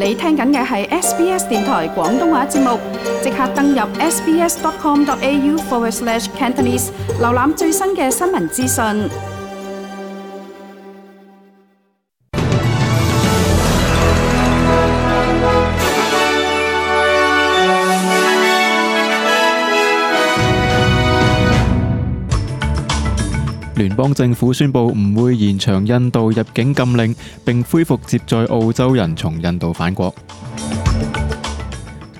你聽緊嘅係 SBS 電台廣東話節目，即刻登入 sbs.com.au/Cantonese 瀏覽最新嘅新聞資訊。聯邦政府宣布唔會延長印度入境禁令，並恢復接載澳洲人從印度返國。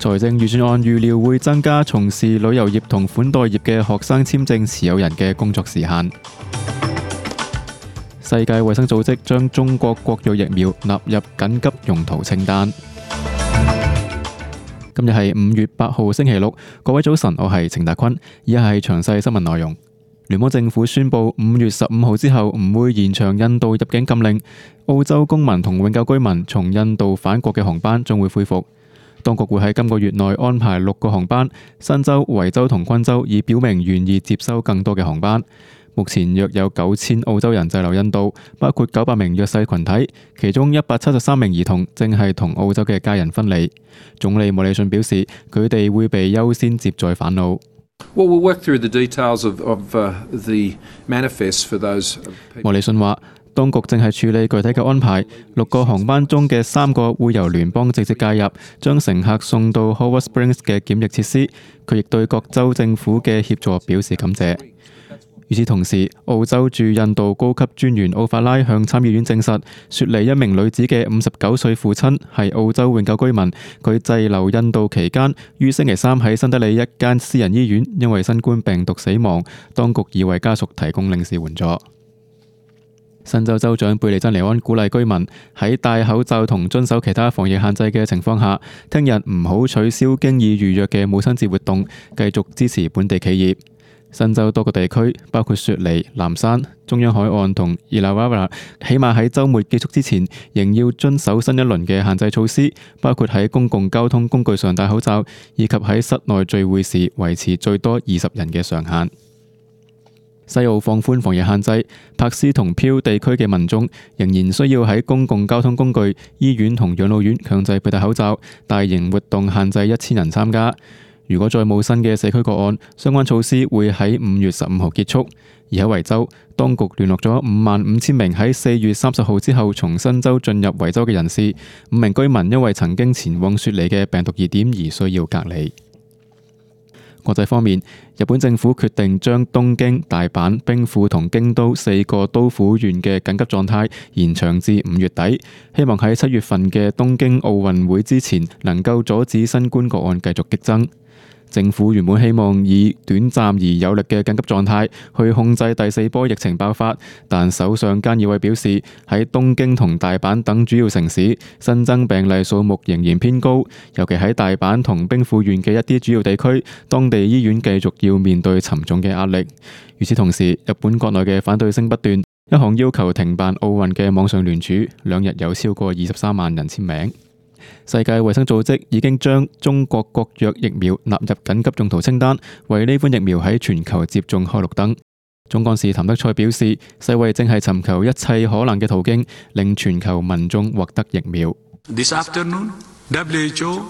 財政預算案預料會增加從事旅遊業同款待業嘅學生簽證持有人嘅工作時限。世界衛生組織將中國國藥疫苗納入緊急用途清單。今日係5月8號星期六，各位早晨，我係程達坤，以下係詳細新聞內容。聯邦政府宣布5月15號之後唔會延長印度入境禁令，澳洲公民同永久居民從印度返國嘅航班將會恢復。當局會喺今個月內安排6個航班，新州、維州同昆州已表明願意接收更多嘅航班。目前約有9000澳洲人滯留印度，包括900名弱勢群體，其中173名兒童正係同澳洲嘅家人分離。總理莫里遜表示，佢哋會被優先接載返澳。Well, we'll work through the details of the manifest for those people. 莫里遜話，當局正係處理具體嘅安排，6個航班中嘅3個會由聯邦直接介入，將乘客送到 Howard Springs 嘅檢疫設施。佢亦對各州政府嘅協助表示感謝。與此同時，澳洲駐印度高級專員奧法拉向參議院證實，雪梨一名女子嘅59歲父親係澳洲永久居民，佢滯留印度期間於星期三喺新德里一間私人醫院因為新冠病毒死亡，當局已為家屬提供領事援助。新州州長貝利珍尼安鼓勵居民喺戴口罩同遵守其他防疫限制嘅情況下，聽日唔好取消經已預約嘅母親節活動，繼續支持本地企業。新州多個地區，包括雪梨、南山、中央海岸同伊拉瓦拉，起碼喺週末結束之前，仍要遵守新一輪嘅限制措施，包括喺公共交通工具上戴口罩，以及喺室內聚會時維持最多20人嘅上限。西澳放寬防疫限制，柏斯同漂地區嘅民眾仍然需要喺公共交通工具、醫院同養老院強制佩戴口罩，大型活動限制1000人參加。如果再冇新嘅社區個案，相關措施會喺5月15號結束。而喺維州，當局聯絡咗55000名喺4月30號之後從新州進入維州嘅人士，5名居民因為曾經前往雪梨嘅病毒熱點而需要隔離。國際方面，日本政府決定將東京、大阪、兵庫同京都4個都府縣嘅緊急狀態延長至5月底，希望喺7月份嘅東京奧運會之前能夠阻止新冠個案繼續激增。政府原本希望以短暫而有力嘅緊急狀態去控制第4波疫情爆發，但首相菅義偉表示，喺東京同大阪等主要城市新增病例數目仍然偏高，尤其喺大阪同兵庫縣嘅一啲主要地區，當地醫院繼續要面對沉重嘅壓力。與此同時，日本國內嘅反對聲不斷，一項要求停辦奧運嘅網上聯署，2日有超過23萬人簽名。世界衛生組織已經將中國國藥疫苗納入緊急用途清單，為呢款疫苗喺全球接種開綠燈。總幹事譚德塞表示，世衛正係尋求一切可能嘅途徑，令全球民眾獲得疫苗。This afternoon, WHO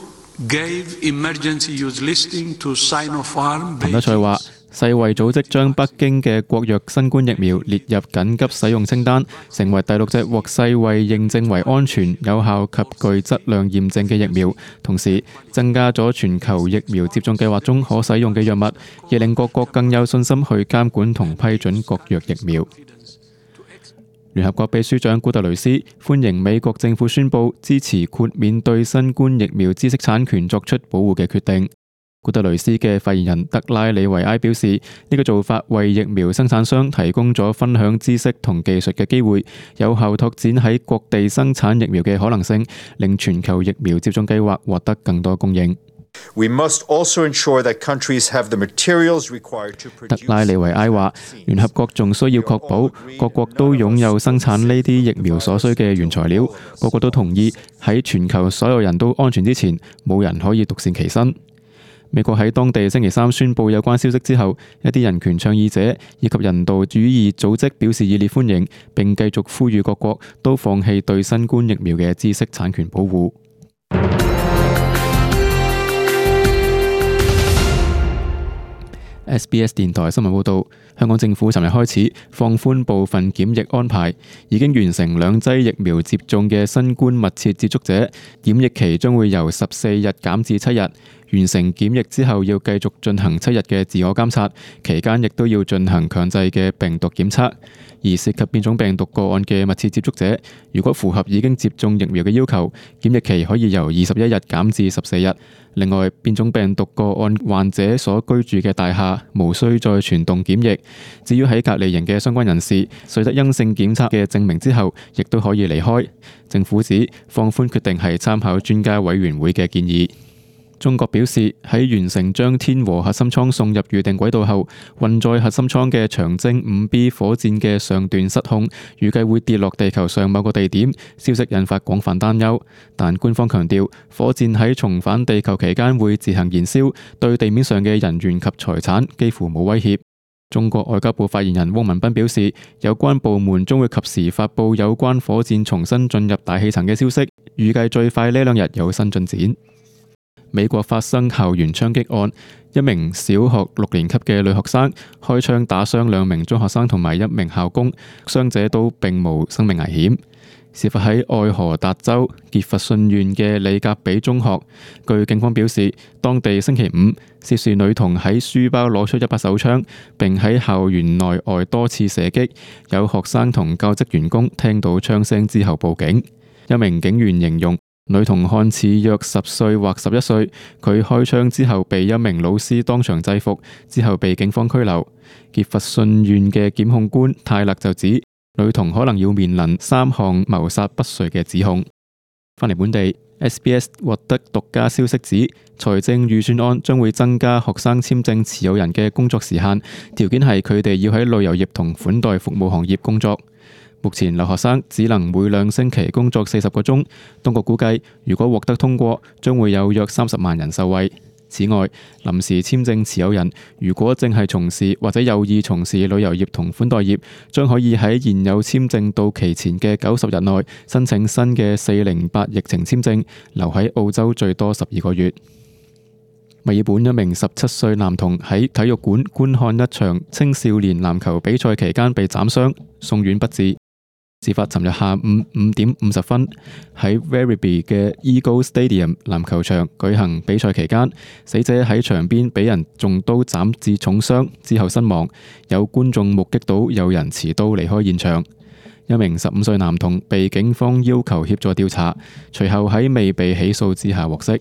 gave emergency use listing to Sinopharm。譚德塞話，世衛組織將北京嘅國藥新冠疫苗列入緊急使用清單，成為第6隻獲世衛認證為安全、有效及具質量驗證嘅疫苗，同時增加咗全球疫苗接種計劃中可使用嘅藥物，亦令各國更有信心去監管同批准國藥疫苗。聯合國秘書長古特雷斯歡迎美國政府宣布支持豁免對新冠疫苗知識產權作出保護嘅決定。古特雷斯嘅發言人德拉里維埃表示，呢個做法為疫苗生產商提供咗分享知識同技術嘅機會，有效拓展喺各地生產疫苗嘅可能性，令全球疫苗接種計劃獲得更多供應。We must also ensure that countries have the materials required to produce。 德拉里維埃話，聯合國仲需要確保各國都擁有生產呢啲疫苗所需嘅原材料，個個都同意喺全球所有人都安全之前，冇人可以獨善其身。美國喺當地星期三宣布有關消息之後，一啲人權倡議者以及人道主義組織表示熱烈歡迎，並繼續呼籲各國都放棄對新冠疫苗嘅知識產權保護。SBS 電台新聞報導，香港政府尋日開始放寬部分檢疫安排，已經完成2劑疫苗接種嘅新冠密切接觸者，檢疫期將會由14日減至7日。完成檢疫之後，要繼續進行7日嘅自我監察，期間亦都要進行強制嘅病毒檢測。而涉及變種病毒個案嘅密切接觸者，如果符合已經接種疫苗嘅要求，檢疫期可以由21日減至14日。另外，變種病毒個案患者所居住嘅大廈無需再全棟檢疫。至於喺隔離營嘅相關人士，取得陰性檢測嘅證明之後，亦都可以離開。政府指放寬決定係參考專家委員會嘅建議。中國表示，喺完成將天和核心艙送入預定軌道後，運載核心艙嘅長征 5B 火箭嘅上段失控，預計會跌落地球上某個地點。消息引發廣泛擔憂，但官方強調，火箭喺重返地球期間會自行燃燒，對地面上嘅人員及財產幾乎冇威脅。中國外交部發言人汪文斌表示，有關部門將會及時發布有關火箭重新進入大氣層嘅消息，預計最快呢2日有新進展。美國發生校園槍擊案，一名小學6年級嘅女學生開槍打傷2名中學生同埋1名校工，傷者都並無生命危險。事發喺愛荷達州傑佛遜縣嘅里格比中學。據警方表示，當地星期5，涉事女童喺書包攞出一把手槍，並喺校園內外多次射擊。有學生同教職員工聽到槍聲之後報警。一名警員形容，女童看似約10歲或11歲，佢開槍之後被一名老師當場制服，之後被警方拘留。傑佛遜縣嘅檢控官泰勒就指，女童可能要面臨3項謀殺不遂嘅指控。返嚟本地 ，SBS 獲得獨家消息指，財政預算案將會增加學生簽證持有人嘅工作時限，條件係佢哋要喺旅遊業同款待服務行業工作。目前留學生只能每2星期工作40個鐘，當局估計如果獲得通過，將會有約30萬人受惠。此外，臨時簽證持有人如果正係從事或者有意從事旅遊業同款待業，將可以喺現有簽證到期前嘅90日內申請新嘅408疫情簽證，留喺澳洲最多12個月。墨爾本一名17歲男童喺體育館觀看一場青少年籃球比賽期間被斬傷，送院不治。事發尋日下午5點50分，喺 Werribee 嘅 Eagle Stadium 籃球場舉行比賽期間，死者喺場邊俾人中刀斬至重傷，之後身亡。有觀眾目擊到有人持刀離開現場。一名15歲男童被警方要求協助調查，隨後喺未被起訴之下獲釋。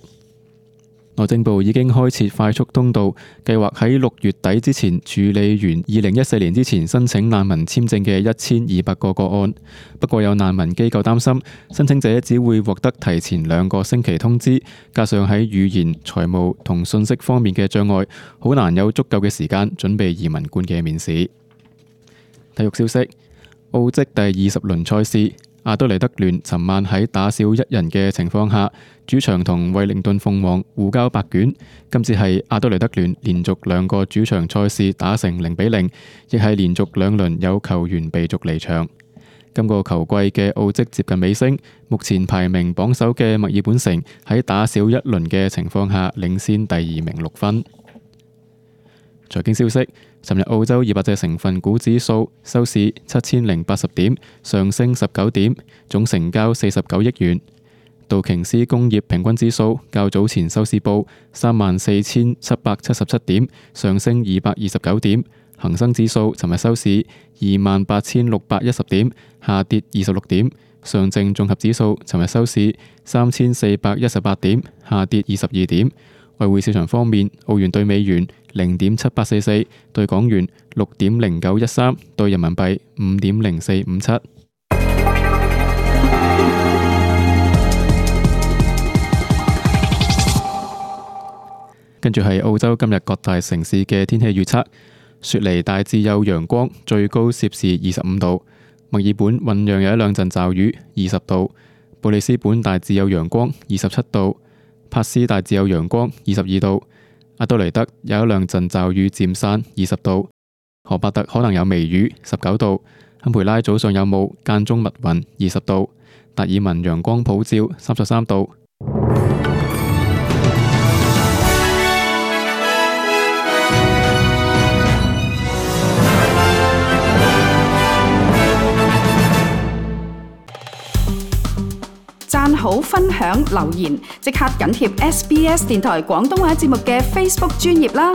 內政部已經開設快速通道，計劃喺6月底之前處理完2014年之前申請難民簽證嘅1200個個案。不過有難民機構擔心，申請者只會獲得提前2個星期通知，加上喺語言、財務同信息方面嘅障礙，好難有足夠嘅時間準備移民官嘅面試。體育消息：澳職第20輪賽事，阿德萊德聯尋晚喺打少1人嘅情況下，主場同惠靈頓鳳凰互交白卷。今次係阿德萊德聯連續2個主場賽事打成0-0，亦係連續2輪有球員被逐離場。今個球季嘅澳職接近尾聲，目前排名榜首嘅墨爾本城喺打少1輪嘅情況下領先第2名6分。財經消息：尋日澳洲200隻成分股指數收市7080點，上升19點，總成交49億元。道瓊斯工業平均指數較早前收市報34777點，上升229點。恒生指數尋日收市28610點，下跌26點。上證綜合指數尋日收市3418點，下跌22點。外匯市場方面，澳元對美元0.7844，對港元6.0913，對人民幣5.0457。跟住係澳洲今日各大城市嘅天氣預測：雪梨大致有陽光，最高攝氏25度；墨爾本醞釀有1-2陣驟雨，20度；布里斯本大致有陽光，27度；帕斯大致有陽光，22度；阿德萊德有1-2陣驟雨漸散，20度；荷伯特可能有微雨，19度；堪培拉早上有霧間中密雲，20度；達爾文陽光普照，33度。好、分享、留言，即刻緊貼SBS 電台廣東話節目嘅 Facebook 專頁啦！